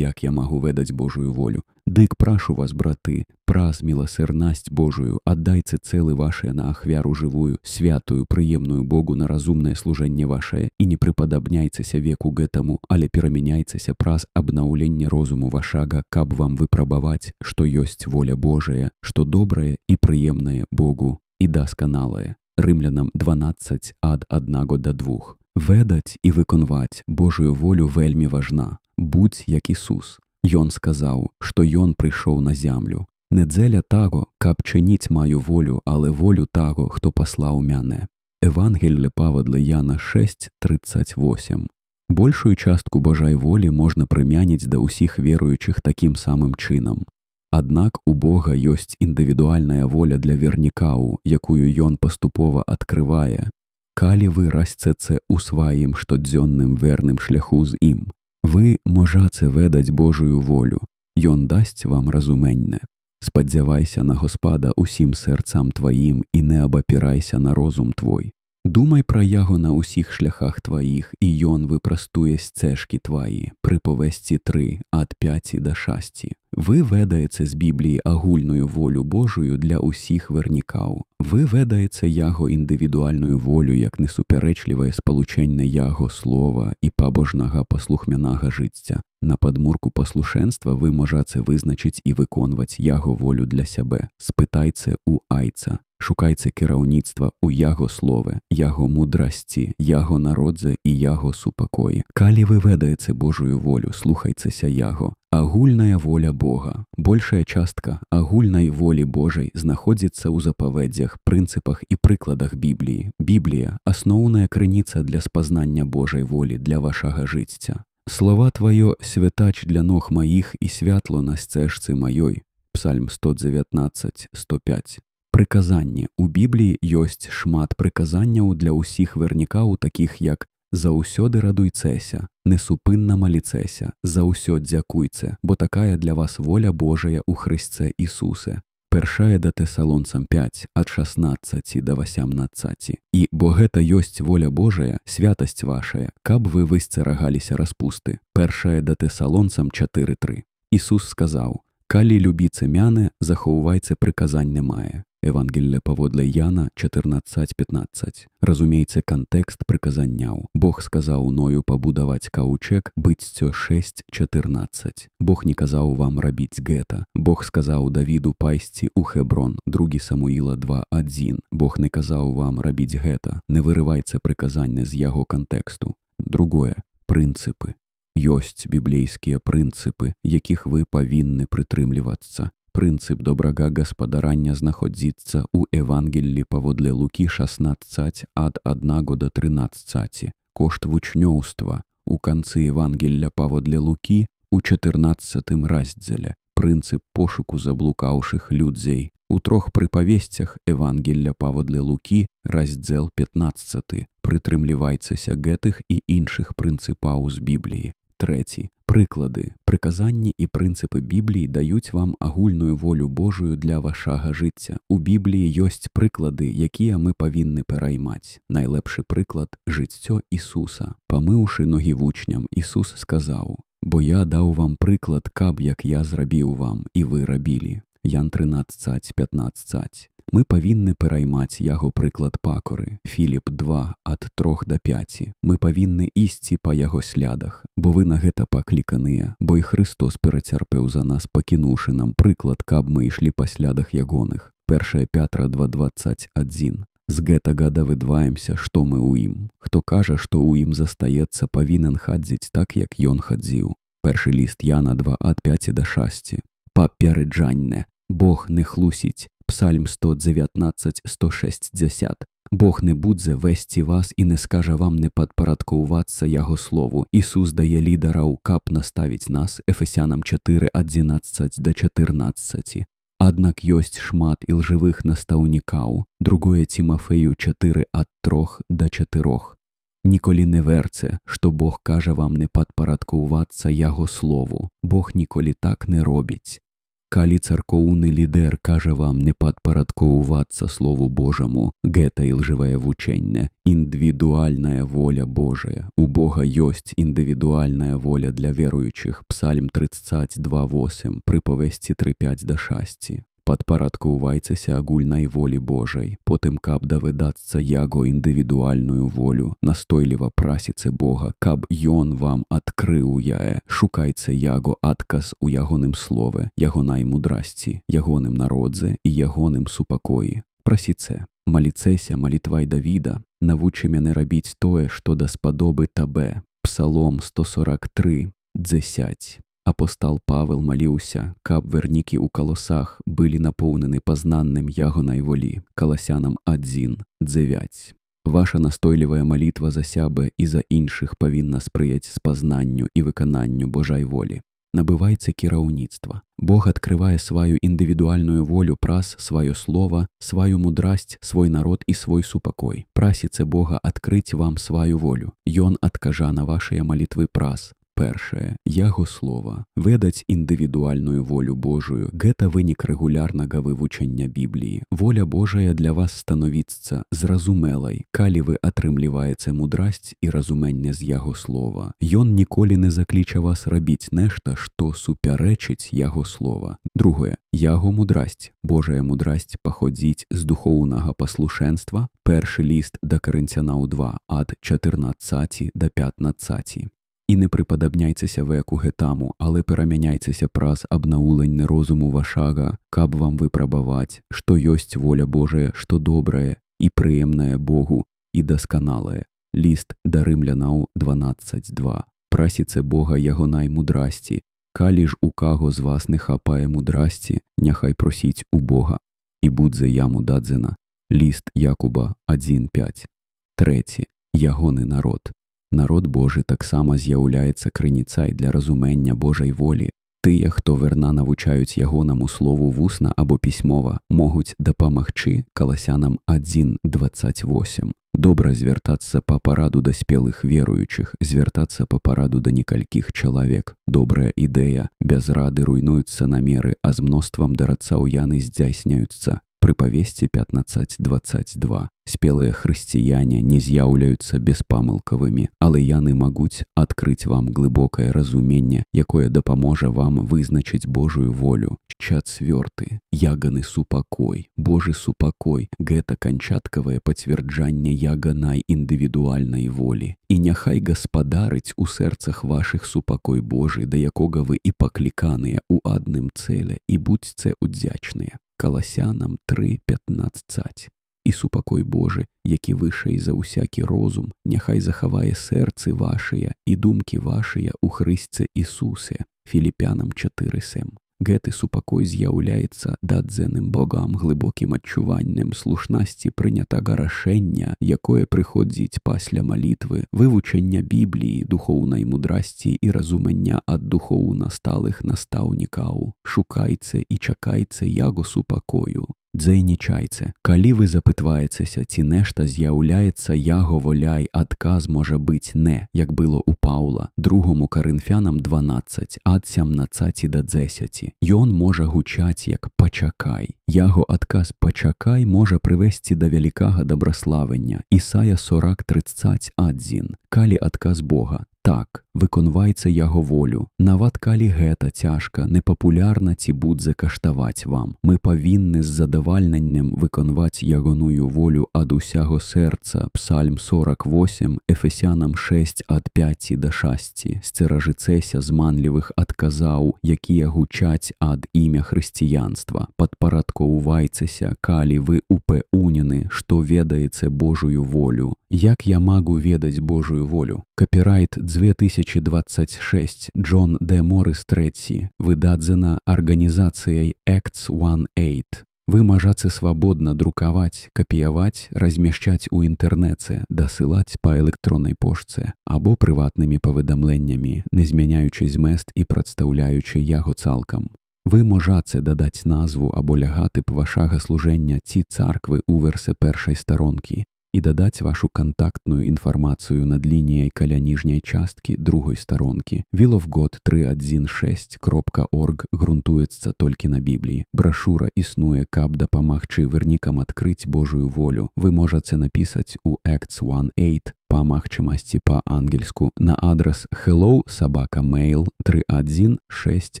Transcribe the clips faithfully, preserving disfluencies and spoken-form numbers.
як я магу ведаць Божую волю. Дык прашу вас, браты, праз міласэрнасць Божую, аддайце цэлы вашыя на ахвяру жывую, святую, прыемную Богу на разумнае служэнне вашае, і не прыпадабняйцеся веку гэтаму, але перамяняйцеся праз абнаўленне розуму вашага, каб вам выпрабаваць, што ёсць воля Божая, што добрае і прыемнае Богу і дасканалае. Рымлянам дванаццаць ад аднаго да двух. Ведаць і выконваць Божую волю вельмі важна. Будзь як Ісус. Ён сказаў, што Ён прыйшоў на зямлю. Не дзеля таго, каб чыніць маю волю, але волю таго, хто паслаў мяне. Евангелле паводле Яна шэсць трыццаць восем. Большую частку Божай волі можна прымяніць да ўсіх веруючых такім самым чынам. Аднак у Бога ёсць індывідуальная воля для вернікаў, якую Ён паступова адкрывае. Калі вы расцеце ў сваім штодзённым верным шляху з ім, вы можаце ведаць Божую волю. Ён дасць вам разуменне. Спадзявайся на Господа усім сэрцам тваім і не абапірайся на розум твой. Думай пра яго на ўсіх шляхах тваіх, і ён выпрастуе сцежкі тваі. Прыповесці тры ад пяці да шасці. Вы ведаеце з Бібліі агульную волю Божую для ўсіх вернікаў. Вы ведаеце яго індывідуальную волю як несуперечлівае спалучэнне яго слова і пабожнага паслухмянага жыцця. На падмурку паслушэнства вы можаце вызначыць і выконваць яго волю для сябе. Спытайце ў айца. Шукайце кіраўніцтва ў яго слове, яго мудрасці, яго народзе і яго супакоі. Калі вы ведаеце Божую волю, слухайцеся яго. Агульная воля Бога. Большая частка агульнай волі Божай знаходзіцца ў запаведзях, прынцыпах і прыкладах Бібліі. Біблія – асноўная крыніца для спазнання Божай волі для вашага жыцця. Слова тваё – святач для ног маіх і святло на сцежцы маёй. Псальм сто дзевятнаццаць сто пяць. Прыказанне. У Бібліі ёсць шмат прыказанняў для ўсіх вернікаў, такіх як «Заўсёды радуйцеся», «Несупынна маліцеся», «Заўсёд дзякуйце», бо такая для вас воля Божая ў Хрысце Ісусе. Першае да Тэсалонцам пяць ад шаснаццаці да васямнаццаці. І бо гэта ёсць воля Божая, святасць вашая, каб вы высцерагаліся распусты. Першае да Тэсалонцам чатыры тры. Ісус сказаў: «Калі любіце мяне, захоўвайце прыказанне мае». Евангелле паводле Яна чатырнаццаць пятнаццаць. Разумейце кантэкст прыказанняў. Бог сказаў Ною пабудаваць каўчэг, Быццё шэсць чатырнаццаць. Бог не казаў вам рабіць гэта. Бог сказаў Давіду пайсці ў Хеброн, другі Самуіла два адзін. Бог не казаў вам рабіць гэта. Не вырывайце прыказанне з яго кантэксту. Другое. Прынцыпы. Ёсць біблейскія прынцыпы, якіх вы павінны прытрымлівацца. Прынцып добрага гаспадарання знаходзіцца ў Евангеллі паводле Лукі шаснаццаць ад аднаго да трынаццаці. Кошт вучнёўства у канцы Евангелля паводле Лукі у чатырнаццатым раздзеле. Прынцып пошуку заблукаўшых людзей. У трох прыпавесцях Евангелля паводле Лукі раздзел пятнаццаты. Прытрымлівайцеся гэтых і іншых прынцыпаў з Бібліі. Трэці. Прыклады. Прыказанні і прынцыпы Бібліі даюць вам агульную волю Божую для вашага жыцця. У Бібліі ёсць прыклады, якія мы павінны пераймаць. Найлепшы прыклад – жыццё Ісуса. Памыўшы ногі вучням, Ісус сказаў: «Бо я даў вам прыклад, каб як я зрабіў вам, і вы рабілі». Ян трынаццаць пятнаццаць. Мы павінны пераймаць яго прыклад пакоры. Філіп два ад трох да пяці. Мы павінны ісці па яго слядах, бо вы на гэта пакліканыя, бо і Христос перацярпеў за нас, пакінуўшы нам прыклад, каб мы ішлі па слядах ягоных. Першае Пятра два дваццаць адзін. З гэтага давыдваемся, што мы ў ім. Хто кажа, што ў ім застаецца, павінен хадзіць так, як ён хадзіў. Першы ліст Яна два ад пяці да шасці. Папереджанне. Бог не хлусіць. Псальм сто дзевятнаццаць сто шэсцьдзясят. Бог не будзе весці вас і не скажа вам не падпарадкоўвацца яго слову. Ісус дае лідараў, каб наставіць нас. Ефесянам чатыры адзінаццаць да чатырнаццаці. Аднак ёсць шмат ілжывых настаўнікаў. Другое Цімафею чатыры ад трох да чатырох. Ніколі не верце, што Бог кажа вам не падпарадкоўвацца яго слову. Бог ніколі так не робіць. Калі царкоўны лідэр кажа вам не падпарадкоўвацца Слову Божаму, гэта ілжывае вучэнне. Індывідуальная воля Божая. У Бога ёсць індывідуальная воля для веруючых. Псальм тридцать два восемь, прыповесці три пять да шасці. Падпарадкоўвайцеся агульнай волі Божай, потым каб давыдацца яго індывідуальную волю, настойліва прасіце Бога, каб Ён вам адкрыў яе, шукайце яго адказ у ягоным слове, ягонай мудрасці, ягоным народзе і ягоным супакоі. Прасіце, маліцеся малітвай Давіда, навучы мяне рабіць тое, што даспадобы табе. Псалом сто сорок три, дзесяць. Апостал Павел маліўся, каб вернікі ў калосах былі напоўнены пазнаннем ягонай волі. Каласянам адзін, дзевяць. Ваша настойлівая малітва за сябе і за іншых павінна спрыяць спазнанню і выкананню Божай волі. Набывайце кіраўніцтва. Бог адкрывае сваю індывідуальную волю праз сваё слова, сваю мудрасць, свой народ і свой супакой. Прасіце Бога адкрыць вам сваю волю. Ён адкажа на вашыя малітвы праз першае, яго слова. Ведаць індывідуальную волю Божую – гэта вынік рэгулярнага вывучэння Бібліі. Воля Божая для вас становіцца зразумелай, калі вы атрымліваеце мудрасць і разуменне з яго слова. Ён ніколі не закліча вас рабіць нешта, што супярэчыць яго слова. Другое, яго мудрасць. Божая мудрасць паходзіць з духоўнага паслушэнства. Першы ліст да Карынцянаў два, ад чатырнаццаці да пятнаццаці. І не приподобняйцеся веку гетаму, але перамяняйцеся праз абнауленне розуму вашага, каб вам выпрабаваць, што ёсць воля Божая, што добрае і прыемнае Богу і дасканалае. Ліст да рымлянаў дванаццаць два. Прасіце Бога ягонай мудрасці. Калі ж у каго з вас не хапае мудрасці, няхай просіць у Бога, і будзе яму дадзена. Ліст Якуба адзін пять. Трэці. Ягоны народ. Народ Божы таксама з'яўляецца крыніцай для разумення Божай волі. Тыя, хто верна навучаюць ягонаму слову вусна або пісьмова, могуць дапамагчы. Каласянам адзін дваццаць восем. Добра звяртацца па параду да спелых веруючых, звяртацца па параду да некалькіх чалавек. Добрая ідэя, без рады руйнуюцца намеры, а з мноствам дарацаў яны здзяйсняюцца. Прыпавесці пятнаццаць дваццаць два. Спелыя хрысціяне не з'яўляюцца беспамылкавымі, але яны могуць адкрыць вам глыбокае разуменне, якое дапаможа вам вызначыць Божую волю. Чацвёрты. Яганы супакой. Божы супакой – гэта канчаткавае пацверджанне яганай індывідуальнай волі. І няхай гаспадарыць у сэрцах вашых супакой Божы, да якога вы і пакліканыя ў адным цэле, і будзьце удзячныя. Каласянам три пятнаццаць. І супакой Божы, які вышэй за ўсякі розум, няхай захавае сэрцы вашыя і думкі вашыя ў Хрысце Ісусе. Філіпянам чатыры сем. Гэты супакой з'яўляецца дадзеным Богам глыбокім адчуваннем слушнасці прынятага рашэння, якое прыходзіць пасля малітвы, вывучэння Бібліі, духоўнай мудрасці і разумення ад духоўна сталых настаўнікаў. Шукайце і чакайце яго супакою. Дзейнічайце. Калі вы запытваецеся, ці нешта з'яўляецца яго воляй, адказ можа быць не, як было ў Паўла. Другому Карынфянам дванаццаць, ад сямнаццаці да дзесяці. Ён можа гучаць як «пачакай». Яго адказ «пачакай» можа прывесці да вялікага дабраславення. Ісая сорок тридцать адзін. Калі адказ Бога «так», выконвайце яго волю. Нават калі гэта цяжка, непапулярна ці будзе каштаваць вам. Мы павінны з задавальненнем выконваць ягоную волю ад усяго сэрца. Псальм сорок восемь, Ефесянам шесть ад пяці да шасці. Сцеражыцэся зманлівых адказаў, якія гучаць ад імя хрысціянства. Падпарадкоўвайцеся, калі вы упэўнены, што ведаеце Божую волю. Як я магу ведаць Божую волю? Копірайт две тысячи двадцать шесть, Джон Д. Моррис трэці, выдадзена арганізацыяй Acts восемь. Вы можаце свабодна друкаваць, капіяваць, размяшчаць у інтэрнэце, дасылаць па электроннай пошце або прыватнымі паведамленнямі, не змяняючы змест і прадстаўляючы яго цалкам. Вы можаце дадаць назву або лягатып вашага служэння ці царквы ў версе першай старонкі. і дадаць вашу кантактную інфармацыю над лініяй каля ніжняй часткі другой старонкі. will of god тры адзін шэсць кропка орг грунтуецца толькі на Бібліі. Брашура існуе, каб дапамагчы вернікам адкрыць Божую волю. Вы можаце напісаць у Acts one eight па магчымасці па-ангельску на адрас hello собака mail тры адзін шэсць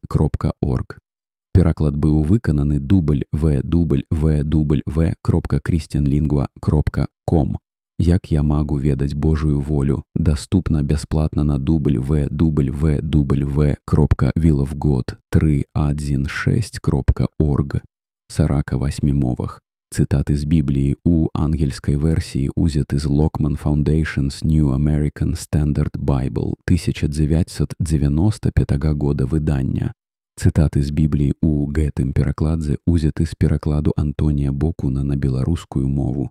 кропка орг. Пераклад быў выкананы дубль в дубль в дубль в кропка christianlingua кропка ком. Як я магу ведаць Божую волю? Даступна бясплатна на дубль в дубль в дубль в кропка will of god тры адзін шэсць кропка орг. сарака васьмі мовах. Цытаты з Бібліі ў ангельскай версіі узяты з Lockman Foundation's New American Standard Bible тысяча дзевяцьсот дзевяноста пятага года выдання. Цытаты з Бібліі ў гэтым перакладзе узяты з перакладу Антонія Бокуна на беларускую мову.